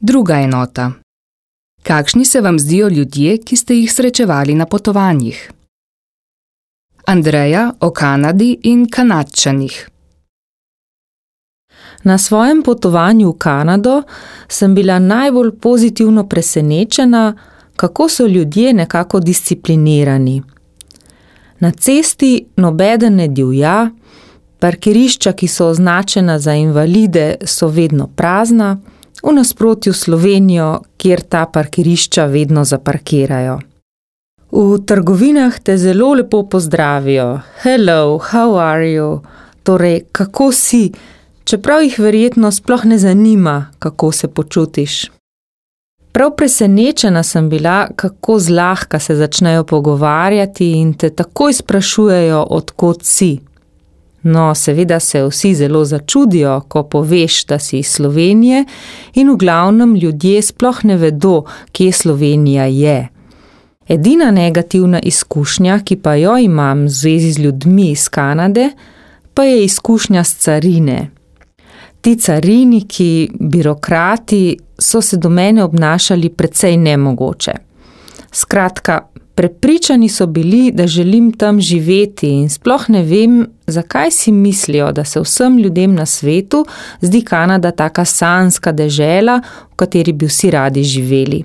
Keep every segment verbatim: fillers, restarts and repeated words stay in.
Druga enota. Kakšni se vam zdijo ljudje, ki ste jih srečevali na potovanjih? Andreja o Kanadi in Kanadčanih. Na svojem potovanju v Kanado sem bila najbolj pozitivno presenečena, kako so ljudje nekako disciplinirani. Na cesti nobeden ne divja, parkirišča, ki so označena za invalide, so vedno prazna, v nasprotju s Slovenijo, kjer ta parkirišča vedno zaparkirajo. V trgovinah te zelo lepo pozdravijo. Hello, how are you? Torej, kako si? Čeprav jih verjetno sploh ne zanima, kako se počutiš. Prav presenečena sem bila, kako zlahka se začnejo pogovarjati in te takoj sprašujejo, od kod si. No, seveda se vsi zelo začudijo, ko poveš, da si iz Slovenije, in v glavnem ljudje sploh ne vedo, kje Slovenija je. Edina negativna izkušnja, ki pa jo imam v zvezi z ljudmi iz Kanade, pa je izkušnja s carine. Ti cariniki, birokrati, so se do mene obnašali precej nemogoče. Skratka, prepričani so bili, da želim tam živeti in sploh ne vem, zakaj si mislijo, da se vsem ljudem na svetu zdi Kanada taka sanjska dežela, v kateri bi vsi radi živeli.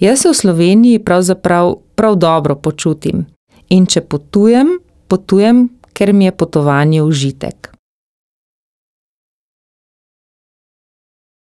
Jaz se v Sloveniji pravzaprav prav dobro počutim in če potujem, potujem, ker mi je potovanje užitek.